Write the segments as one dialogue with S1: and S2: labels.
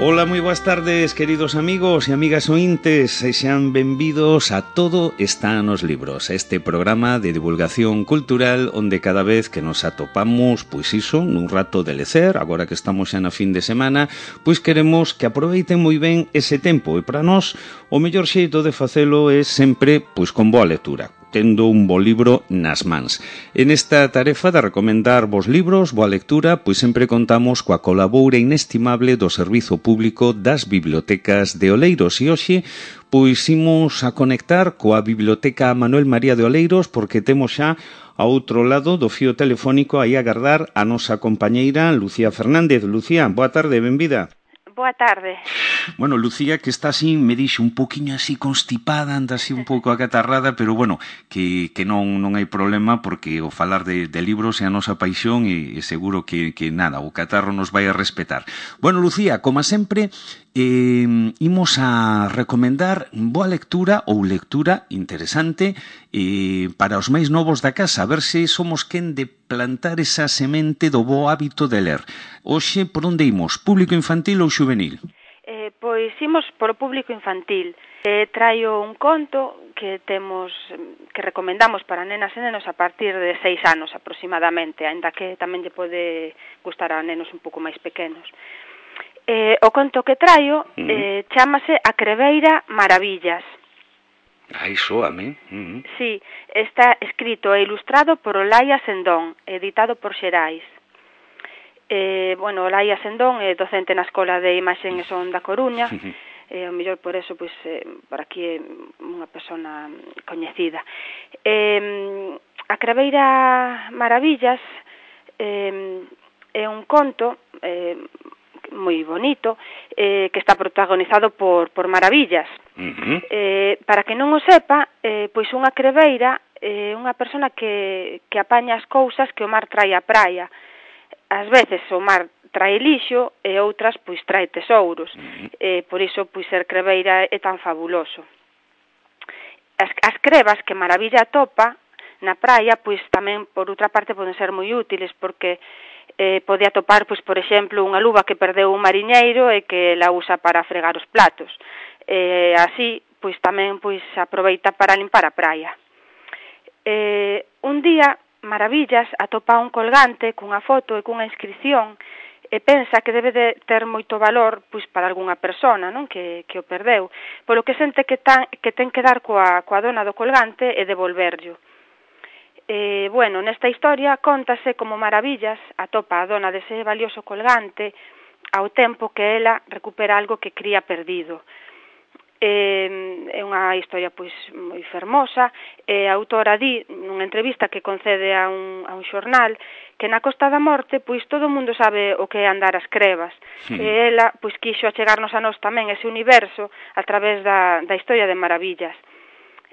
S1: Ola, moi boas tardes, queridos amigos e amigas ointes, e xean benvidos a Todo está nos libros, este programa de divulgación cultural onde cada vez que nos atopamos, pois iso, nun rato de lecer, agora que estamos xa na fin de semana, pois queremos que aproveiten moi ben ese tempo, e para nós o mellor xeito de facelo é sempre pois con boa lectura, tendo un bo libro nas mans. En esta tarefa de recomendar vos libros, boa lectura, pois sempre contamos coa colaboura inestimable do Servizo Público das Bibliotecas de Oleiros. E hoxe, pois imos a conectar coa Biblioteca Manuel María de Oleiros porque temos xa a outro lado do fío telefónico aí a agardar a nosa compañeira Lucía Fernández. Lucía, boa tarde, benvida.
S2: Boa tarde.
S1: Bueno, Lucía, que está así, me dixo un poquinho así constipada, anda así un pouco acatarrada, pero bueno, que non hai problema porque o falar de libros é a nosa paixón e seguro que nada, o catarro nos vai a respetar. Bueno, Lucía, como sempre, imos a recomendar boa lectura ou lectura interesante para os máis novos da casa, a ver se somos quen de plantar esa semente do bo hábito de ler. Hoxe, por onde imos? Público infantil ou xuvenil?
S2: Pois imos por o público infantil. Traio un conto que recomendamos para nenas e nenos a partir de 6 anos aproximadamente, aínda que tamén lle pode gustar a nenos un pouco máis pequenos. O conto que traio chámase A Creveira Maravillas.
S1: Ai, soame.
S2: Sí, está escrito e ilustrado por Olaia Sendón, editado por Xerais. Olaia Sendón é docente na Escola de Imaxe e Son da Coruña, o mellor por eso, pois, por aquí é unha persona coñecida. A Creveira Maravillas é un conto moi bonito que está protagonizado por Maravillas. Para que non o sepa, pois unha creveira é unha persona que apaña as cousas que o mar trae á praia. Ás veces o mar trae lixo e outras pois trae tesouros. Por iso pois ser creveira é tan fabuloso. As crevas que Maravilla atopa na praia pois tamén por outra parte poden ser moi útiles porque pode atopar pois por exemplo unha luva que perdeu un mariñeiro e que la usa para fregar os platos. Así pois tamén pois aproveita para limpar a praia. Un día Maravillas atopa un colgante cunha foto e cunha inscripción e pensa que debe de ter moito valor pois para algunha persona, non, que o perdeu, polo que sente que ten que dar coa dona do colgante e devolverllo. Nesta historia cóntase como Maravillas atopa a dona dese valioso colgante ao tempo que ela recupera algo que cría perdido. É unha historia pois moi fermosa e a autora di nunha entrevista que concede a un xornal que na Costa da Morte pois todo o mundo sabe o que é andar ás crevas e ela pois quixo achegarnos a nós tamén ese universo a través da historia de Maravillas.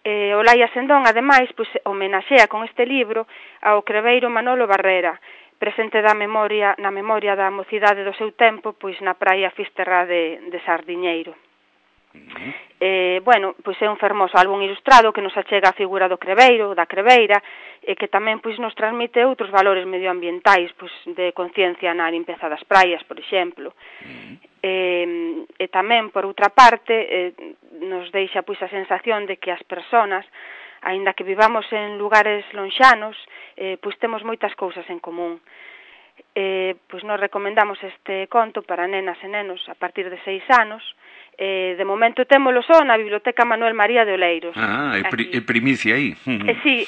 S2: Olaia Sendón ademais pois homenaxea con este libro ao creveiro Manolo Barrera, presente na memoria da mocidade do seu tempo pois na praia fisterrá de Sardiñeiro. Pois é un fermoso álbum ilustrado que nos achega a figura do creveiro, da creveira, e que tamén pois nos transmite outros valores medioambientais, pois de conciencia na limpeza das praias, por exemplo. E tamén, por outra parte, nos deixa pois a sensación de que as persoas, aínda que vivamos en lugares lonxanos, pois temos moitas cousas en común. Pois nos recomendamos este conto para nenas e nenos a partir de 6 anos. De momento témolo só na Biblioteca Manuel María de Oleiros.
S1: É primicia aí.
S2: Sí.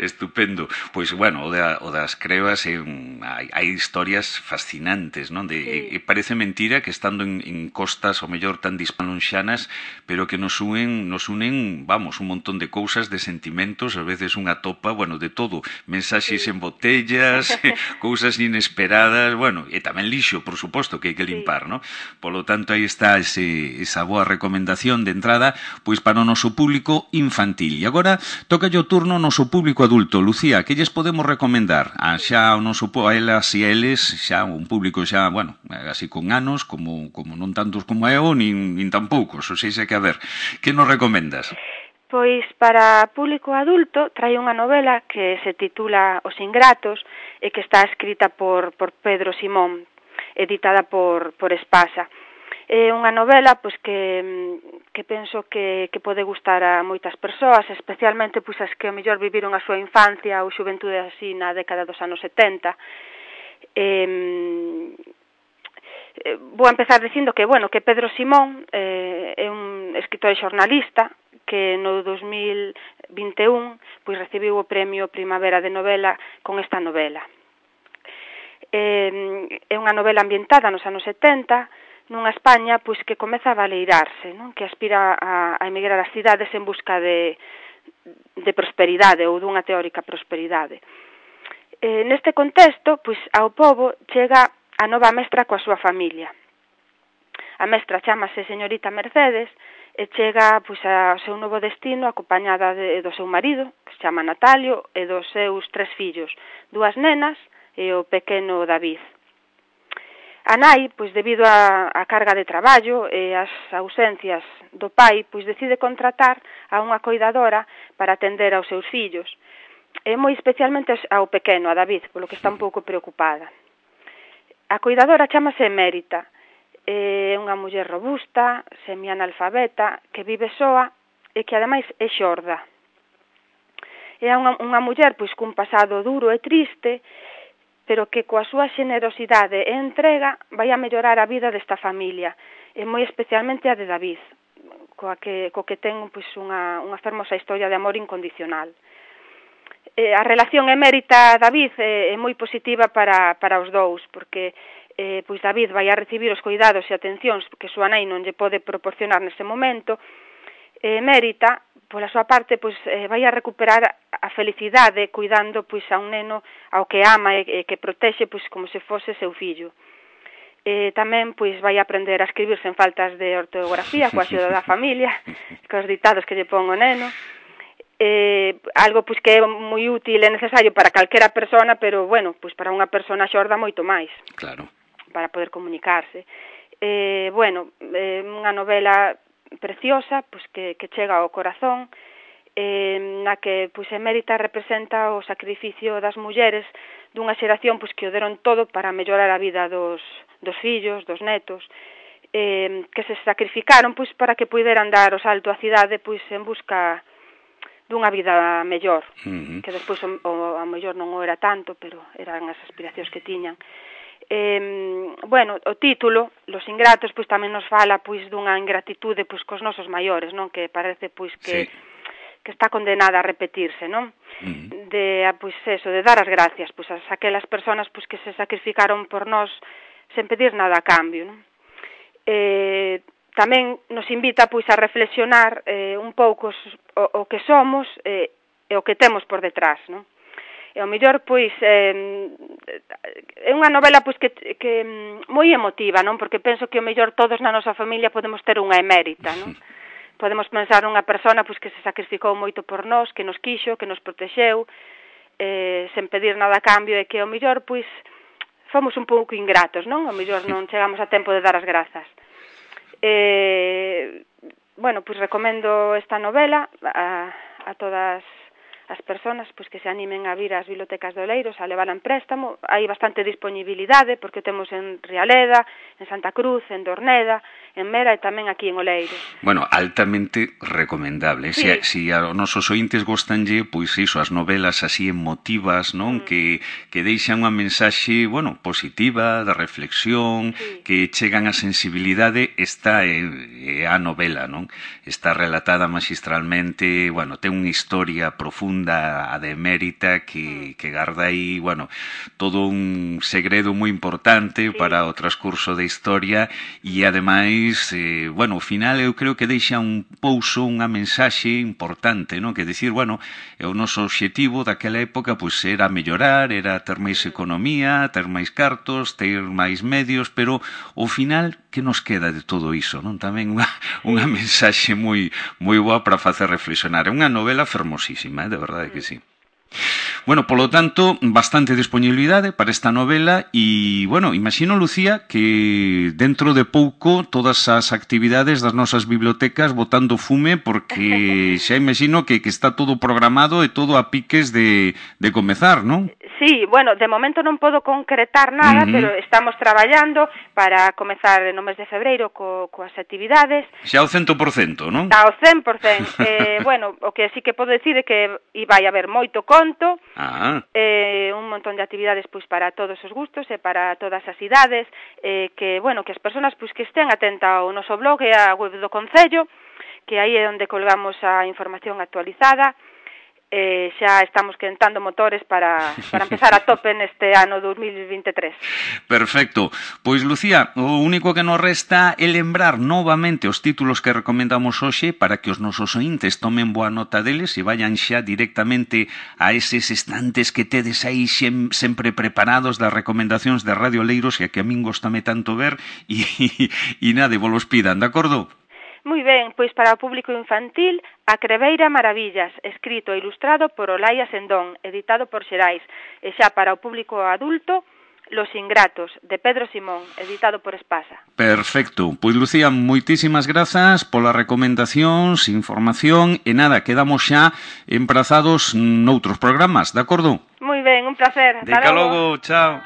S1: Estupendo. Pois, bueno, o das crevas hai historias fascinantes, non? E parece mentira que estando en costas, o mellor tan dispanonxanas, pero que nos unen, vamos, un montón de cousas, de sentimentos, a veces unha topa, bueno, de todo. Mensaxes en botellas, cousas inesperadas, bueno, e tamén lixo, por suposto, que hai que limpar, non? Polo tanto, aí está esa boa recomendación de entrada pois para o noso público infantil. E agora tocalle o turno ao noso público adulto. Lucía, que lles podemos recomendar? Xa o noso a elas e a eles, xa un público xa, bueno, así con anos, como non tantos como eu, nin tan poucos, ou seja que a ver, que nos recomendas?
S2: Pois para público adulto trae unha novela que se titula Os Ingratos e que está escrita por Pedro Simón. editada por Espasa. É unha novela pois que penso que pode gustar a moitas persoas, especialmente pois as que ao mellor viviron a súa infancia ou xuventude así na década dos anos 70. Vou empezar dicindo que Pedro Simón é un escritor e xornalista que no 2021 pois recibiu o premio Primavera de Novela con esta novela. É unha novela ambientada nos anos 70, nunha España pois que comeza a baleirarse, non? Que aspira a emigrar ás cidades en busca de prosperidade ou dunha teórica prosperidade. Neste contexto, pois ao pobo chega a nova mestra coa súa familia. A mestra chámase señorita Mercedes e chega pois ao seu novo destino acompañada do seu marido, que se chama Natalio, e dos seus 3 fillos, 2 nenas e o pequeno David. A nai, pois debido á carga de traballo e as ausencias do pai, pois decide contratar a unha coidadora para atender aos seus fillos, e moi especialmente ao pequeno, a David, polo que está un pouco preocupada. A coidadora chámase Emérita, é unha muller robusta, semianalfabeta, que vive soa e que ademais é xorda. É unha muller pois cun pasado duro e triste, pero que coa súa xenerosidade e entrega vai a mellorar a vida desta familia, e moi especialmente a de David, co que ten pois unha fermosa historia de amor incondicional. A relación Emérita-David é moi positiva para os dous, porque pois David vai a recibir os cuidados e atencións que súa nai non lle pode proporcionar nese momento. Emérita, pola súa parte, pois vai a recuperar a felicidade cuidando pois a un neno ao que ama e que protexe pois como se fose seu fillo. Tamén pois vai a aprender a escribir sen faltas de ortografía coa axuda da familia, cos ditados que lle pon o neno. Algo pois que é moi útil e necesario para calquera persona, pero bueno, pois para unha persona xorda moito máis.
S1: Claro.
S2: Para poder comunicarse. Unha novela preciosa, pois que chega ao corazón, na que pois Emérita representa o sacrificio das mulleres dunha xeración pois que o deron todo para mellorar a vida dos fillos, dos netos, que se sacrificaron pois para que puideran dar o salto á cidade pois en busca dunha vida mellor, que despois a mellor non o era tanto, pero eran as aspiracións que tiñan. O título, Los ingratos, pois tamén nos fala pois dunha ingratitude pois cos nosos maiores, non? Que parece pois que está condenada a repetirse, non? De dar as gracias pois a aquelas persoas pois que se sacrificaron por nós sen pedir nada a cambio, non? Tamén nos invita pois a reflexionar un pouco o que somos e o que temos por detrás, non? E ao mellor pois é unha novela pois que moi emotiva, non? Porque penso que ao mellor todos na nosa familia podemos ter unha Emérita, non? Podemos pensar nunha persona pois que se sacrificou moito por nós, que nos quixo, que nos protexeu, sen pedir nada a cambio, e que ao mellor pois fomos un pouco ingratos, non? Ao mellor non chegamos a tempo de dar as grazas. Pois recomendo esta novela a todas as persoas pois que se animen a vir ás bibliotecas de Oleiros a levala en préstamo. Hai bastante disponibilidade porque temos en Rialeda, en Santa Cruz, en Dorneda, en Mera e tamén aquí en Oleiros.
S1: Bueno, altamente recomendable. Sí. Si a nosos ointes gostanlle, pois iso, as novelas así emotivas, non? Que deixan unha mensaxe, positiva, de reflexión, que chegan a sensibilidade, esta é a novela, non? Está relatada magistralmente, ten unha historia profunda a de Emérita que garda aí, todo un segredo moi importante para o transcurso da historia e ademais, ao final eu creo que deixa un pouso, unha mensaxe importante, non? Que dicir, o noso obxectivo daquela época pois era mellorar, era ter máis economía, ter máis cartos, ter máis medios, pero ao final que nos queda de todo iso, non? Tamén unha mensaxe moi boa para facer reflexionar. É unha novela fermosísima, de verdade que sí. Bueno, polo tanto, bastante disponibilidade para esta novela e, bueno, imagino, Lucía, que dentro de pouco todas as actividades das nosas bibliotecas botando fume, porque xa imagino que está todo programado e todo a piques de comezar, non?
S2: Sí, bueno, de momento non podo concretar nada, pero estamos traballando para comezar no mes de febreiro coas actividades.
S1: Xa ao 100%, non?
S2: Ao 100%. Bueno, o que sí que podo decir é que vai haber moito conto, un montón de actividades pois para todos os gustos e para todas as idades, que, bueno, que as persoas pois que estén atentas ao noso blog e á web do Concello, que aí é onde colgamos a información actualizada. Xa estamos quentando motores para empezar a tope neste ano 2023.
S1: Perfecto. Pois, Lucía, o único que nos resta é lembrar novamente os títulos que recomendamos hoxe para que os nosos ointes tomen boa nota deles e vayan xa directamente a eses estantes que tedes aí sempre preparados das recomendacións de Radio Oleiros, e que a min gostame tanto ver, e nada, vos los pidan, de acordo?
S2: Moi ben, pois para o público infantil, A Creveira Maravillas, escrito e ilustrado por Olaia Sendón, editado por Xerais, e xa para o público adulto, Los Ingratos, de Pedro Simón, editado por Espasa.
S1: Perfecto. Pois, Lucía, moitísimas grazas polas recomendacións, información, e nada, quedamos xa emprazados noutros programas, de acordo?
S2: Moi ben, un placer.
S1: Ata logo, chao.